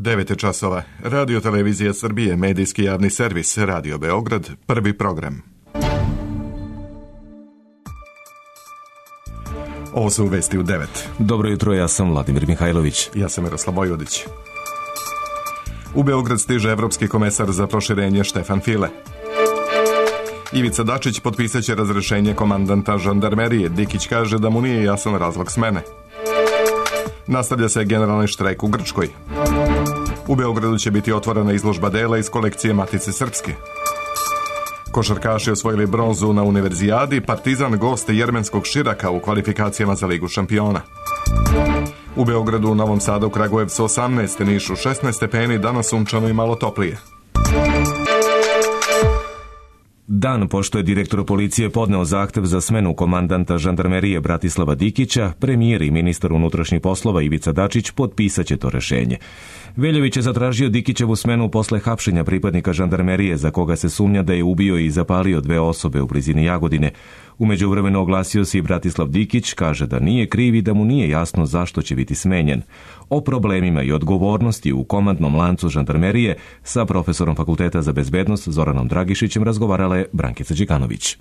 9 časova. Radio Televizija Srbije, medijski javni servis, Radio Beograd, prvi program. Ovo su vesti u 9. Dobro jutro, ja sam Vladimir Mihajlović. Ja sam Miroslav Vojvodić. U Beograd stiže evropski komesar za proširenje Štefan File. Ivica Dačić potpisaće razrešenje komandanta žandarmerije. Dikić kaže da mu nije jasan razlog smene. Nastavlja se generalni štrajk u Grčkoj. U Beogradu će biti otvorena izložba dela iz kolekcije Matice Srpske. Košarkaši osvojili bronzu na Univerzijadi, Partizan goste jermenskog Širaka u kvalifikacijama za Ligu šampiona. U Beogradu, u Novom Sadu, Kragujevcu 18, Nišu 16 stepeni, danas sunčano i malo toplije. Dan pošto je direktor policije podneo zahtev za smenu komandanta žandarmerije Bratislava Dikića, premijer i ministar unutrašnjih poslova Ivica Dačić potpisaće to rešenje. Veljović je zatražio Dikićevu smenu posle hapšenja pripadnika žandarmerije za koga se sumnja da je ubio i zapalio 2 osobe u blizini Jagodine. U međuvremenu oglasio se i Bratislav Dikić, kaže da nije kriv i da mu nije jasno zašto će biti smenjen. O problemima i odgovornosti u komandnom lancu žandarmerije sa profesorom Fakulteta za bezbednost Zoranom Dragišićem razgovarala je Brankica Đikanović.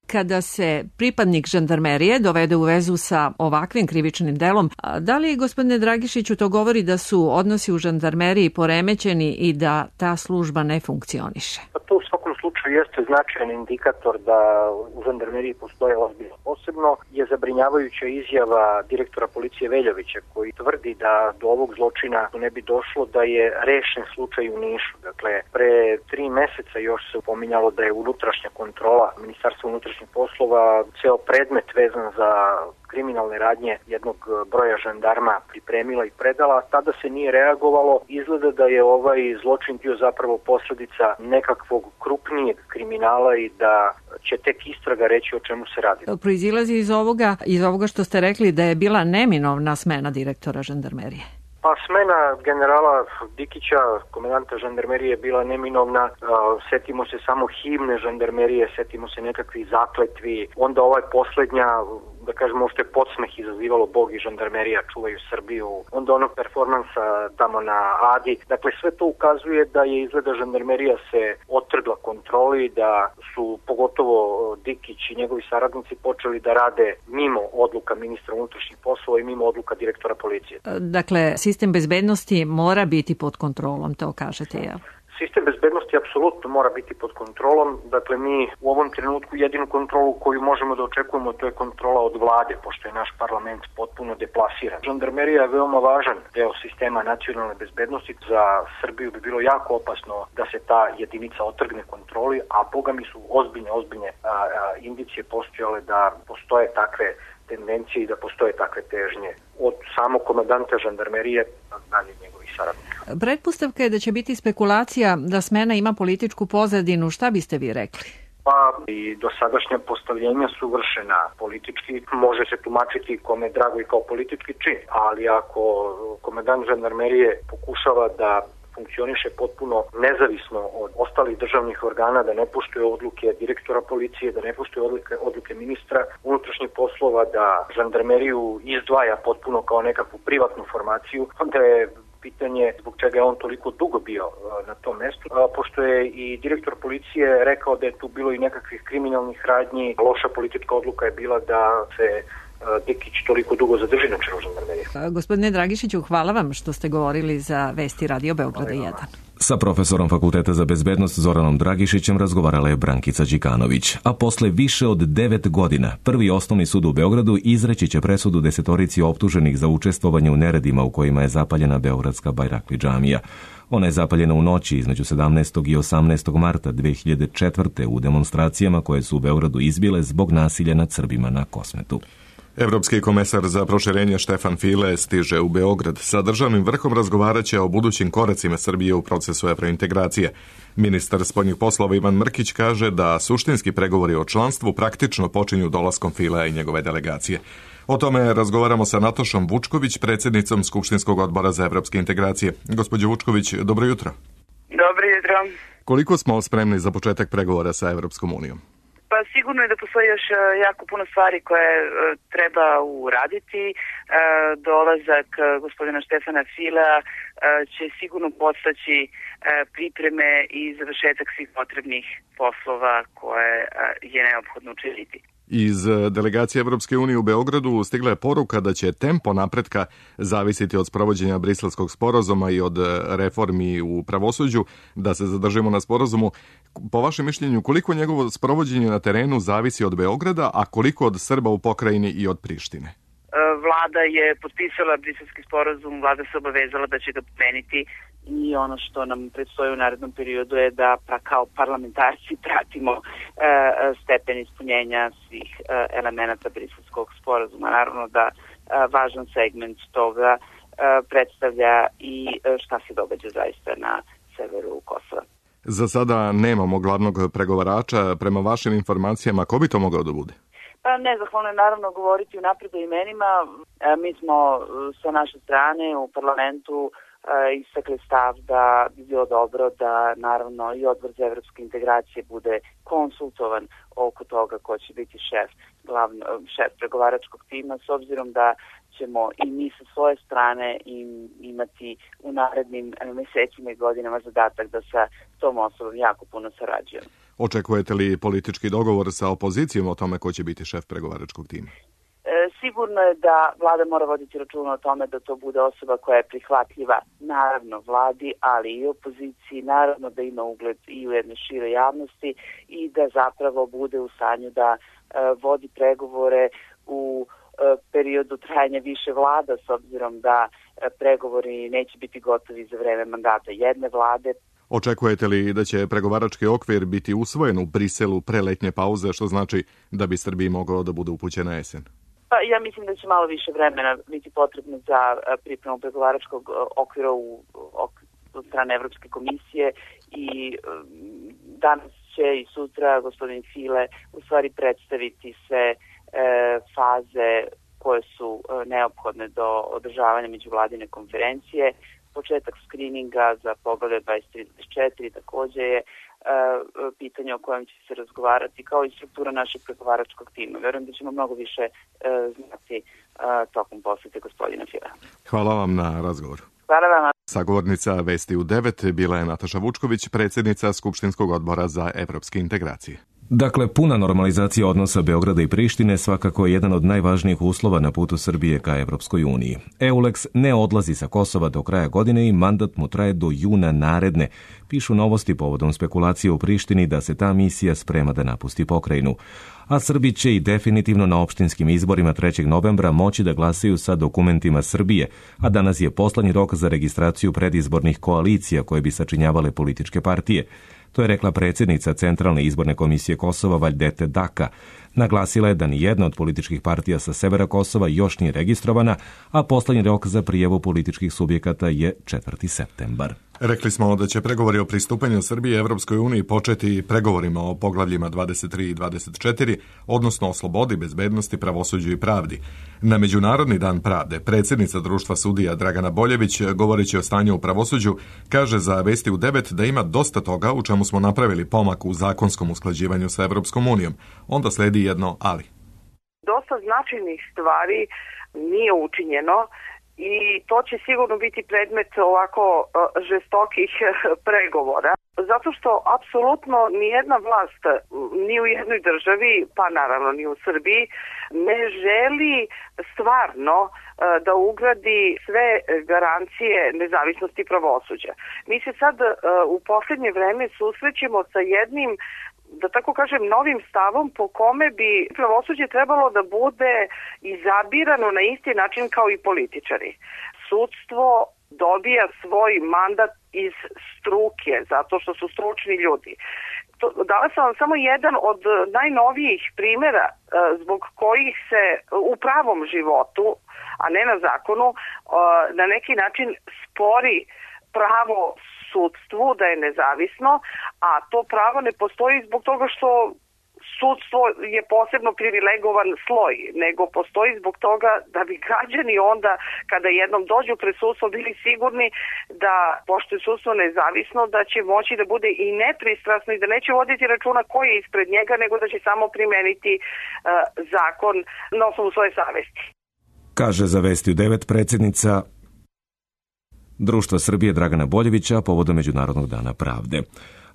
Kada se pripadnik žandarmerije dovede u vezu sa ovakvim krivičnim delom, da li, gospodine Dragišiću, to govori da su odnosi u žandarmeriji poremećeni i da ta služba ne funkcioniše? To u svakom slučaju jeste značajan indikator da u žandarmeriji postoje ozbiljno. Posebno je zabrinjavajuća izjava direktora policije Veljovića, koji tvrdi da do ovog zločina ne bi došlo da je rešen slučaj u Nišu. Dakle, pre 3 meseca još se pominjalo da je unutrašnja kontrola Ministarstva unutrašnjih poslova ceo predmet vezan za kriminalne radnje jednog broja žandarma pripremila i predala, a tada se nije reagovalo. Izgleda da je ovaj zločin bio zapravo posledica nekakvog krupnijeg kriminala i da će tek istraga reći o čemu se radi. Proizilazi iz ovoga što ste rekli da je bila neminovna smena direktora žandarmerije. Pa smena generala Dikića, komandanta žandarmerije, je bila neminovna. Setimo se samo himne žandarmerije, setimo se nekakvih zakletvi. Onda ovaj poslednja, da kažemo, što je podsmeh izazivalo Bog i žandarmerija čuvaju Srbiju. Onda onog performansa tamo na Adi. Dakle, sve to ukazuje da je izgleda žandarmerija se otrgla kontroli, da su pogotovo Dikić i njegovi saradnici počeli da rade mimo odluka ministra unutrašnjih poslova i mimo odluka direktora policije. Dakle, sistem bezbednosti mora biti pod kontrolom, to kažete, jel? Sistem bezbednosti apsolutno mora biti pod kontrolom. Dakle, mi u ovom trenutku jedinu kontrolu koju možemo da očekujemo, to je kontrola od vlade, pošto je naš parlament potpuno deplasiran. Žandarmerija je veoma važan deo sistema nacionalne bezbednosti. Za Srbiju bi bilo jako opasno da se ta jedinica otrgne kontroli, a boga mi su ozbiljne indicije postojale da postoje takve tendencije i da postoje takve težnje od samog komandanta žandarmerije dalje njegovih saradnika. Pretpostavka je da će biti spekulacija da smena ima političku pozadinu. Šta biste vi rekli? Pa i dosadašnja postavljenja su vršena politički. Može se tumačiti kome je drago i kao politički čin, ali ako komandant žandarmerije pokušava da funkcioniše potpuno nezavisno od ostalih državnih organa, da ne poštuje odluke direktora policije, da ne poštuje odluke ministra unutrašnjih poslova, da žandarmeriju izdvaja potpuno kao nekakvu privatnu formaciju, onda je pitanje zbog čega je on toliko dugo bio na tom mestu, pošto je i direktor policije rekao da je tu bilo i nekakvih kriminalnih radnji. Loša politička odluka je bila da se Dikić toliko dugo zadrži na čelu žandarmerije. Gospodine Dragišiću, hvala vam što ste govorili za Vesti Radio Beograda 1. Sa profesorom Fakulteta za bezbednost Zoranom Dragišićem razgovarala je Brankica Đikanović. A posle više od 9 godina, Prvi osnovni sud u Beogradu izreći će presudu 10 optuženih za učestvovanje u neredima u kojima je zapaljena beogradska Bajrakli džamija. Ona je zapaljena u noći između 17. i 18. marta 2004. u demonstracijama koje su u Beogradu izbile zbog nasilja nad Srbima na Kosmetu. Evropski komesar za proširenje Štefan File stiže u Beograd. Sa državnim vrhom razgovaraće o budućim koracima Srbije u procesu evrointegracije. Ministar spoljnih poslova Ivan Mrkić kaže da suštinski pregovori o članstvu praktično počinju dolaskom Filea i njegove delegacije. O tome razgovaramo sa Natašom Vučković, predsjednicom Skupštinskog odbora za evropske integracije. Gospođo Vučković, dobro jutro. Dobro jutro. Koliko smo spremni za početak pregovora sa Evropskom unijom? Pa sigurno je da postoji još jako puno stvari koje treba uraditi. Dolazak gospodina Štefana Filea će sigurno podstaći pripreme i završetak svih potrebnih poslova koje je neophodno učiniti. Iz delegacije Evropske unije u Beogradu stigla je poruka da će tempo napretka zavisiti od sprovođenja Briselskog sporazuma i od reformi u pravosuđu. Da se zadržimo na sporazumu, po vašem mišljenju, koliko njegovo sprovođenje na terenu zavisi od Beograda, a koliko od Srba u pokrajini i od Prištine? Vlada je potpisala Briselski sporazum, vlada se obavezala da će ga primeniti i ono što nam predstoji u narednom periodu je da kao parlamentarci pratimo stepen ispunjenja svih elemenata Briselskog sporazuma. Naravno da važan segment toga predstavlja i šta se događa zaista na severu Kosova. Za sada nemamo glavnog pregovarača. Prema vašim informacijama, ko bi to mogao da bude? Pa nezahvalno je naravno govoriti unapred o imenima. Mi smo sa naše strane u parlamentu istakli stav da bi bilo dobro da naravno i Odbor za evropske integracije bude konsultovan oko toga ko će biti šef pregovaračkog tima, s obzirom da ćemo i mi sa svoje strane imati u narednim mesecima i godinama zadatak da sa tom osobom jako puno sarađujemo. Očekujete li politički dogovor sa opozicijom o tome ko će biti šef pregovaračkog tima? Sigurno je da vlada mora voditi računa o tome da to bude osoba koja je prihvatljiva naravno vladi, ali i opoziciji, naravno da ima ugled i u jednoj široj javnosti i da zapravo bude u stanju da vodi pregovore u periodu trajanja više vlada, s obzirom da pregovori neće biti gotovi za vreme mandata jedne vlade. Očekujete li da će pregovarački okvir biti usvojen u Briselu pre letnje pauze, što znači da bi Srbiji mogao da bude upućen na jesen? Pa ja mislim da će malo više vremena biti potrebno za pripremu pregovaračkog okvira od strane Evropske komisije i danas će i sutra gospodin File u stvari predstaviti sve faze koje su neophodne do održavanja međuvladine konferencije. Početak skrininga za poglavlje 23-24 takođe je pitanje o kojem će se razgovarati, kao i struktura našeg pregovaračkog tima. Verujem da ćemo mnogo više znati tokom posete gospodina Fila. Hvala vam na razgovoru. Hvala vam. Sagovornica Vesti u 9 bila je Nataša Vučković, predsjednica Skupštinskog odbora za evropske integracije. Dakle, puna normalizacija odnosa Beograda i Prištine svakako je jedan od najvažnijih uslova na putu Srbije ka Evropskoj uniji. EULEX ne odlazi sa Kosova do kraja godine i mandat mu traje do juna naredne. Pišu Novosti povodom spekulacije u Prištini da se ta misija sprema da napusti pokrajinu. A Srbi će i definitivno na opštinskim izborima 3. novembra moći da glasaju sa dokumentima Srbije, a danas je poslednji rok za registraciju predizbornih koalicija koje bi sačinjavale političke partije. To je rekla predsjednica Centralne izborne komisije Kosova Vajdete Daka. Naglasila je da ni jedna od političkih partija sa severa Kosova još nije registrovana, a poslednji rok za prijavu političkih subjekata je 4. septembar. Rekli smo da će pregovori o pristupanju Srbije Evropskoj uniji početi pregovorima o poglavljima 23 i 24, odnosno o slobodi, bezbednosti, pravosuđu i pravdi. Na Međunarodni dan pravde predsjednica Društva sudija Dragana Boljević, govoreći o stanju u pravosuđu, kaže za Vesti u 9 da ima dosta toga u čemu smo napravili pomak u zakonskom usklađivanju sa Evropskom unijom. Onda sledi jedno ali. Dosta značajnih stvari nije učinjeno i to će sigurno biti predmet ovako žestokih pregovora. Zato što apsolutno nijedna vlast ni u jednoj državi, pa naravno ni u Srbiji, ne želi stvarno da ugradi sve garancije nezavisnosti pravosuđa. Mi se sad u posljednje vreme susrećemo sa jednim, da tako kažem, novim stavom po kome bi pravosuđe trebalo da bude izabirano na isti način kao i političari. Sudstvo dobija svoj mandat iz struke, zato što su stručni ljudi. Dala sam vam samo jedan od najnovijih primjera zbog kojih se u pravom životu, a ne na zakonu, na neki način spori pravo sudstvu da je nezavisno, a to pravo ne postoji zbog toga što sudstvo je posebno privilegovan sloj, nego postoji zbog toga da bi građani onda, kada jednom dođu pred sudstvo, bili sigurni da, pošto je sudstvo nezavisno, da će moći da bude i nepristrasno i da neće voditi računa ko je ispred njega, nego da će samo primeniti zakon na osnovu svoje savesti. Kaže za Vesti u 9 predsjednica Društva Srbije Dragana Boljevića povodom Međunarodnog dana pravde.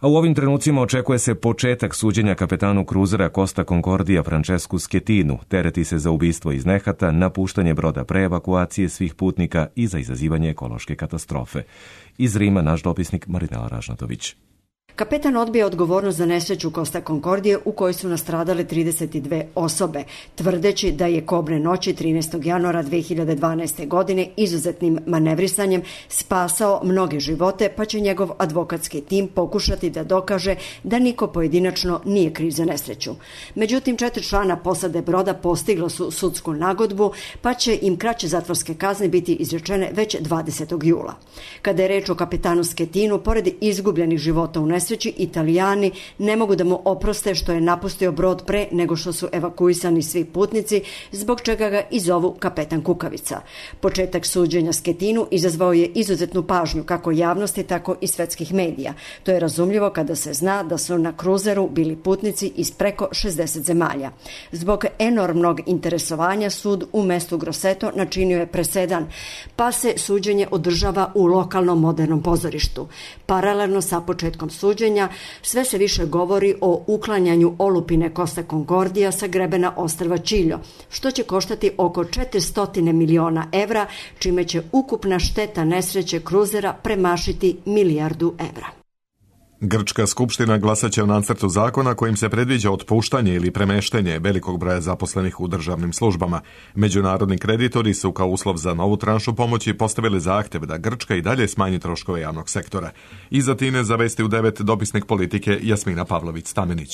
A u ovim trenucima očekuje se početak suđenja kapetanu kruzera Costa Concordia Francescu Schettinu. Tereti se za ubistvo iz nehata, napuštanje broda pre evakuacije svih putnika i za izazivanje ekološke katastrofe. Iz Rima naš dopisnik Marinela Ražnatović. Kapetan odbija odgovornost za nesreću Costa Concordije u kojoj su nastradale 32 osobe, tvrdeći da je kobne noći 13. januara 2012. godine izuzetnim manevrisanjem spasao mnoge živote, pa će njegov advokatski tim pokušati da dokaže da niko pojedinačno nije kriv za nesreću. Međutim, 4 člana posade broda postiglo su sudsku nagodbu, pa će im kraće zatvorske kazne biti izrečene već 20. jula. Kada je reč o kapetanu Schettinu, pored izgubljenih života u nesreći, Italijani ne mogu da mu oproste što je napustio brod pre nego što su evakuisani svi putnici, zbog čega ga i zovu kapetan Kukavica. Početak suđenja Schettinu izazvao je izuzetnu pažnju kako javnosti, tako i svetskih medija. To je razumljivo kada se zna da su na kruzeru bili putnici iz preko 60 zemalja. Zbog enormnog interesovanja sud u mestu Grosseto načinio je presedan, pa se suđenje održava u lokalnom modernom pozorištu. Paralelno sa početkom suđenja sve se više govori o uklanjanju olupine Costa Concordia sa grebena ostrva Čiljo, što će koštati oko 400 miliona evra, čime će ukupna šteta nesreće kruzera premašiti milijardu evra. Grčka skupština glasaće o nacrtu zakona kojim se predviđa otpuštanje ili premeštenje velikog broja zaposlenih u državnim službama. Međunarodni kreditori su kao uslov za novu tranšu pomoći postavili zahtev da Grčka i dalje smanji troškove javnog sektora. Iza Tine za Vesti u 9 dopisnik politike Jasmina Pavlović-Stamenić.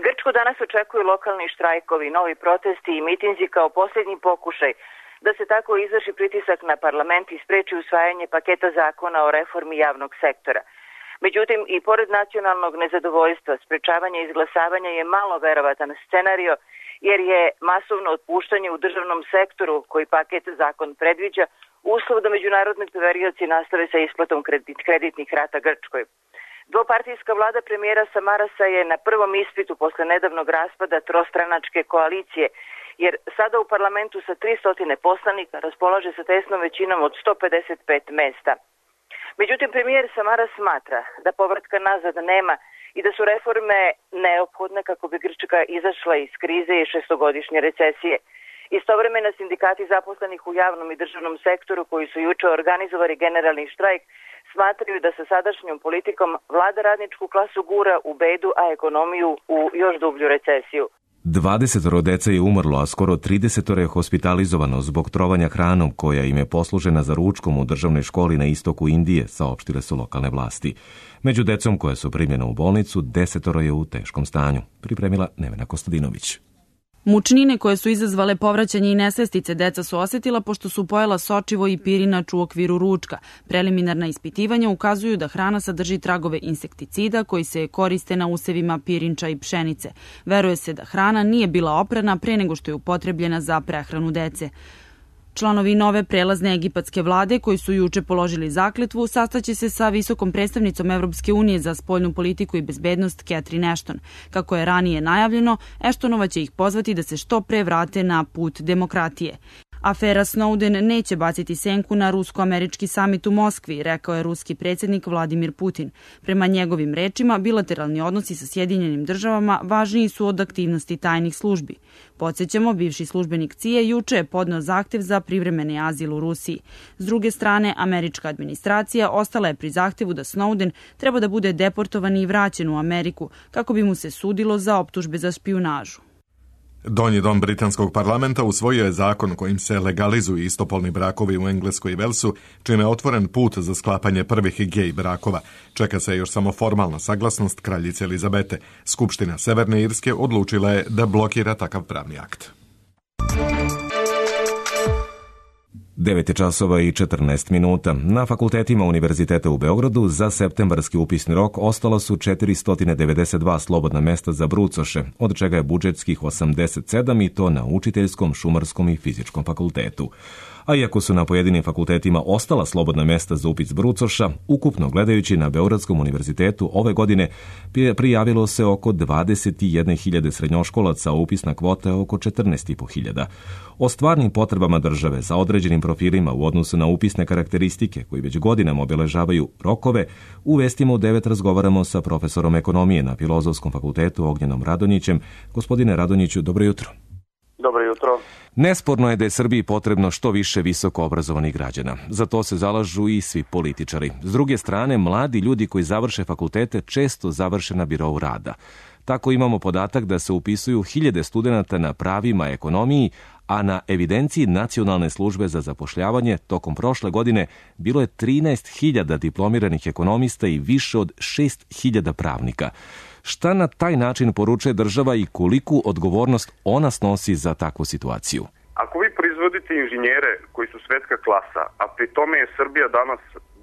Grčku danas očekuju lokalni štrajkovi, novi protesti i mitinzi kao posljednji pokušaj da se tako izvrši pritisak na parlament i spreči usvajanje paketa zakona o reformi javnog sektora. Međutim, i pored nacionalnog nezadovoljstva, sprečavanje izglasavanja je malo verovatan scenario, jer je masovno otpuštanje u državnom sektoru, koji paket zakon predviđa, uslov da međunarodni poverioci nastave sa isplatom kreditnih rata Grčkoj. Dvopartijska vlada premijera Samarasa je na prvom ispitu posle nedavnog raspada trostranačke koalicije, jer sada u parlamentu sa 300 poslanika raspolaže sa tesnom većinom od 155 mesta. Međutim, premijer Samaras smatra da povratka nazad nema i da su reforme neophodne kako bi Grčka izašla iz krize i šestogodišnje recesije. Istovremeno sindikati zaposlenih u javnom i državnom sektoru koji su juče organizovali generalni štrajk smatraju da sa sadašnjom politikom vlada radničku klasu gura u bedu, a ekonomiju u još dublju recesiju. 20 dece je umrlo, a skoro 30 je hospitalizovano zbog trovanja hranom koja im je poslužena za ručkom u državnoj školi na istoku Indije, saopštile su lokalne vlasti. Među decom koja su primljena u bolnicu, 10 je u teškom stanju, pripremila Nevena Kostadinović. Mučnine koje su izazvale povraćanje i nesvestice deca su osjetila pošto su pojela sočivo i pirinač u okviru ručka. Preliminarna ispitivanja ukazuju da hrana sadrži tragove insekticida koji se koriste na usevima pirinča i pšenice. Veruje se da hrana nije bila oprana pre nego što je upotrebljena za prehranu dece. Članovi nove prelazne egipatske vlade koji su juče položili zakletvu sastaće se sa visokom predstavnicom Evropske unije za spoljnu politiku i bezbednost Catherine Ashton. Kako je ranije najavljeno, Ashtonova će ih pozvati da se što pre vrate na put demokratije. Afera Snowden neće baciti senku na rusko-američki samit u Moskvi, rekao je ruski predsjednik Vladimir Putin. Prema njegovim rečima, bilateralni odnosi sa Sjedinjenim državama važniji su od aktivnosti tajnih službi. Podsjećamo, bivši službenik CIA juče je podneo zahtev za privremeni azil u Rusiji. S druge strane, američka administracija ostala je pri zahtevu da Snowden treba da bude deportovan i vraćen u Ameriku, kako bi mu se sudilo za optužbe za špijunažu. Donji dom britanskog parlamenta usvojio je zakon kojim se legalizuju istopolni brakovi u Engleskoj i Velsu, čime je otvoren put za sklapanje prvih gej brakova. Čeka se još samo formalna saglasnost kraljice Elizabete. Skupština Severne Irske odlučila je da blokira takav pravni akt. 9 časova i 14 minuta. Na fakultetima Univerziteta u Beogradu za septembarski upisni rok ostala su 492 slobodna mesta za brucoše, od čega je budžetskih 87 i to na učiteljskom, šumarskom i fizičkom fakultetu. A iako su na pojedinim fakultetima ostala slobodna mesta za upis brucoša, ukupno gledajući na Beogradskom univerzitetu ove godine prijavilo se oko 21.000 srednjoškolaca, a upisna kvota je oko 14.500. O stvarnim potrebama države za određenim profilima u odnosu na upisne karakteristike koji već godinama obeležavaju rokove, u Vestima u 9 razgovaramo sa profesorom ekonomije na Filozofskom fakultetu Ognjenom Radonjićem. Gospodine Radonjiću, dobro jutro. Dobro jutro. Nesporno je da je Srbiji potrebno što više visoko obrazovanih građana. Za to se zalažu i svi političari. S druge strane, mladi ljudi koji završe fakultete često završe na birou rada. Tako imamo podatak da se upisuju 1000 studenata na pravima ekonomiji, a na evidenciji Nacionalne službe za zapošljavanje tokom prošle godine bilo je 13.000 diplomiranih ekonomista i više od 6.000 pravnika. Šta na taj način poručuje država i koliku odgovornost ona snosi za takvu situaciju? Ako vi proizvodite inženjere koji su svetska klasa, a pri tome je Srbija danas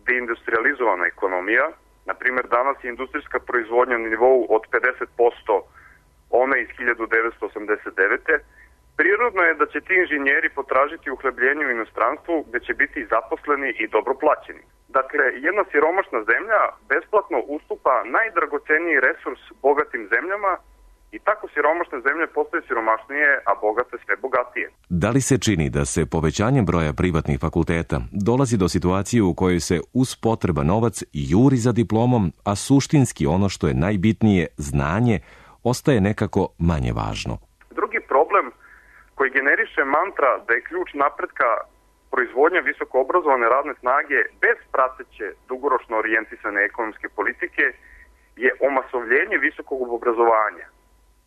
deindustrializovana ekonomija, na primjer danas je industrijska proizvodnja na nivou od 50% one iz 1989. Prirodno je da će ti inženjeri potražiti uhlebljenje u inostranstvu gde će biti zaposleni i dobro plaćeni. Dakle, jedna siromašna zemlja besplatno ustupa najdragoceniji resurs bogatim zemljama i tako siromašne zemlje postaju siromašnije, a bogate sve bogatije. Da li se čini da se povećanjem broja privatnih fakulteta dolazi do situacije u kojoj se uz potreba novac juri za diplomom, a suštinski ono što je najbitnije, znanje, ostaje nekako manje važno? Drugi problem koji generiše mantra da je ključ napretka proizvodnja visoko obrazovane radne snage bez prateće dugoročno orijentisane ekonomske politike je omasovljenje visokog obrazovanja,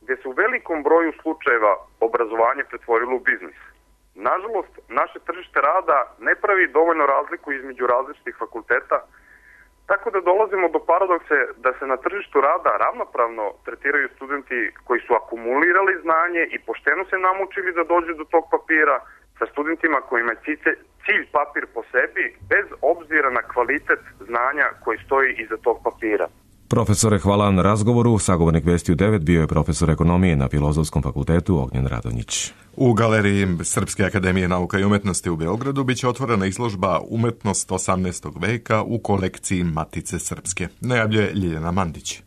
gde se u velikom broju slučajeva obrazovanje pretvorilo u biznis. Nažalost, naše tržište rada ne pravi dovoljno razliku između različitih fakulteta, tako da dolazimo do paradokse da se na tržištu rada ravnopravno tretiraju studenti koji su akumulirali znanje i pošteno se namučili da dođu do tog papira, sa studentima kojima je cilj papir po sebi, bez obzira na kvalitet znanja koji stoji iza tog papira. Profesore, hvala na razgovoru. Sagovornik Vesti u 9 bio je profesor ekonomije na Filozofskom fakultetu Ognjen Radonjić. U Galeriji Srpske akademije nauka i umetnosti u Beogradu biće otvorena izložba Umetnost 18. veka u kolekciji Matice Srpske. Najavljuje Ljiljana Mandić.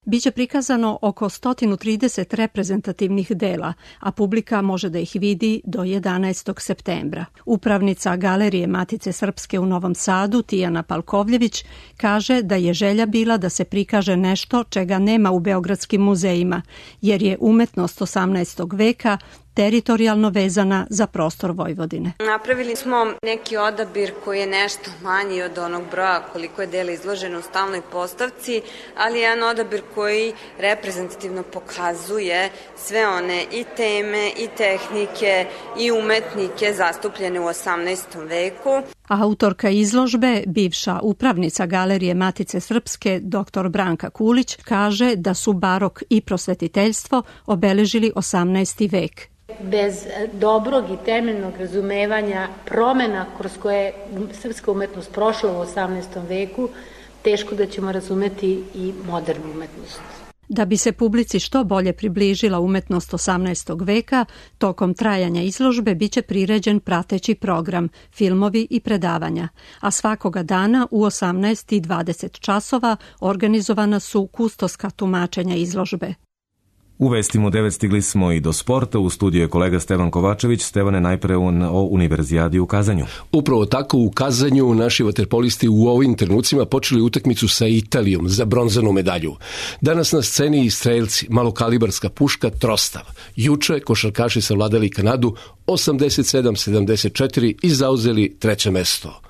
Biće prikazano oko 130 reprezentativnih dela, a publika može da ih vidi do 11. septembra. Upravnica Galerije Matice Srpske u Novom Sadu, Tijana Palkovljević, kaže da je želja bila da se prikaže nešto čega nema u beogradskim muzejima, jer je umetnost 18. veka teritorijalno vezana za prostor Vojvodine. Napravili smo neki odabir koji je nešto manji od onog broja koliko je dela izloženo u stalnoj postavci, ali jedan odabir koji reprezentativno pokazuje sve one i teme, i tehnike, i umetnike zastupljene u 18. veku. Autorka izložbe, bivša upravnica Galerije Matice Srpske, dr. Branka Kulić, kaže da su barok i prosvetiteljstvo obeležili 18. vek. Bez dobrog i temeljnog razumevanja promena kroz koje je srpska umetnost prošla u 18. veku, teško da ćemo razumeti i modernu umetnost. Da bi se publici što bolje približila umetnost 18. veka, tokom trajanja izložbe biće priređen prateći program, filmovi i predavanja, a svakoga dana u 18 i 20 časova organizovana su kustoska tumačenja izložbe. U Vestima u 9 stigli smo i do sporta. U studiju je kolega Stevan Kovačević. Stevane, najpre o Univerzijadi u Kazanju. Upravo tako, u Kazanju naši vaterpolisti u ovim trenucima počeli utakmicu sa Italijom za bronzanu medalju. Danas na sceni i strelci, malokalibarska puška Trostav. Juče košarkaši savladali Kanadu 87-74 i zauzeli treće mesto.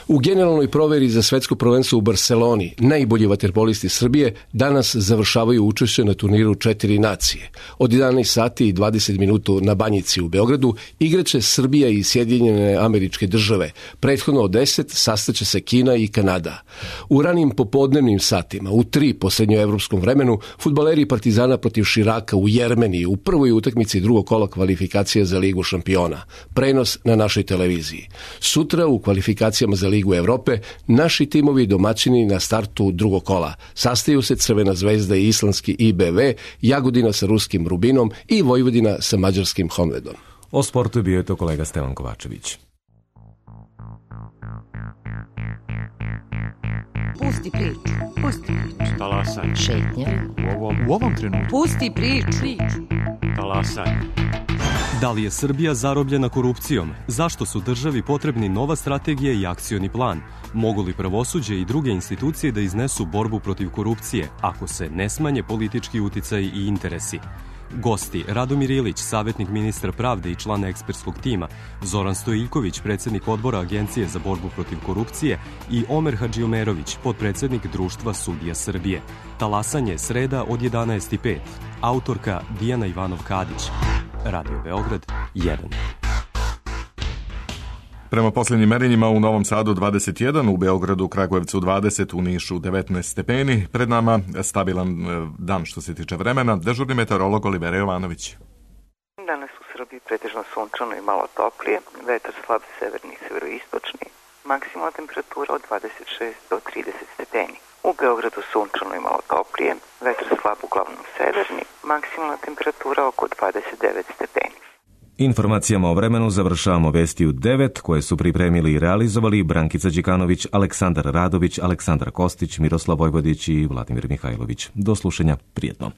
U generalnoj proveri za svetsko prvenstvo u Barseloni najbolji vaterpolisti Srbije danas završavaju učešće na turniru 4 nacije. Od 11 sati i 20 minuta na Banjici u Beogradu igraće Srbija i Sjedinjene Američke Države. Prethodno od 10 sastaće se Kina i Kanada. U ranim popodnevnim satima, u 3 po srednjoevropskom vremenu, fudbaleri Partizana protiv Širaka u Jermeniji u prvoj utakmici drugog kola kvalifikacija za Ligu šampiona. Prenos na našoj televiziji. Sutra u kvalifikacijama za Ligu Evrope naši timovi domaćini na startu drugog kola. Sastaju se Crvena zvezda i islandski IBV, Jagodina sa ruskim Rubinom i Vojvodina sa mađarskim Honvedom. O sportu bio je to kolega Stevan Kovačević. Pusti priču. Pusti priču. Talasaj. Šetnja. U ovom trenutku. Pusti priču. Talasaj. Da li je Srbija zarobljena korupcijom? Zašto su državi potrebni nova strategija i akcioni plan? Mogu li pravosuđe i druge institucije da iznesu borbu protiv korupcije ako se ne smanje politički uticaj i interesi? Gosti Radomir Ilić, savjetnik ministra pravde i član ekspertskog tima, Zoran Stojiljković, predsjednik odbora Agencije za borbu protiv korupcije i Omer Hadžiomerović, potpredsjednik Društva sudija Srbije. Talasanje sreda od 11:05. Autorka Dijana Ivanov-Kadić. Radio Beograd 1. Prema posljednjim merenjima u Novom Sadu 21, u Beogradu, Kragujevcu 20, u Nišu 19 stepeni. Pred nama stabilan dan što se tiče vremena. Dežurni meteorolog Olivera Jovanović. Danas u Srbiji pretežno sunčano i malo toplije, vetar slab severni i severoistočni, maksimalna temperatura od 26 do 30 stepeni. U Beogradu sunčano i malo toplije, vetar slab uglavnom severni, maksimalna temperatura oko 29 stepeni. Informacijama o vremenu završavamo vesti u 9 koje su pripremili i realizovali Brankica Đikanović, Aleksandar Radović, Aleksandar Kostić, Miroslav Vojvodić i Vladimir Mihajlović. Do slušanja, prijetno.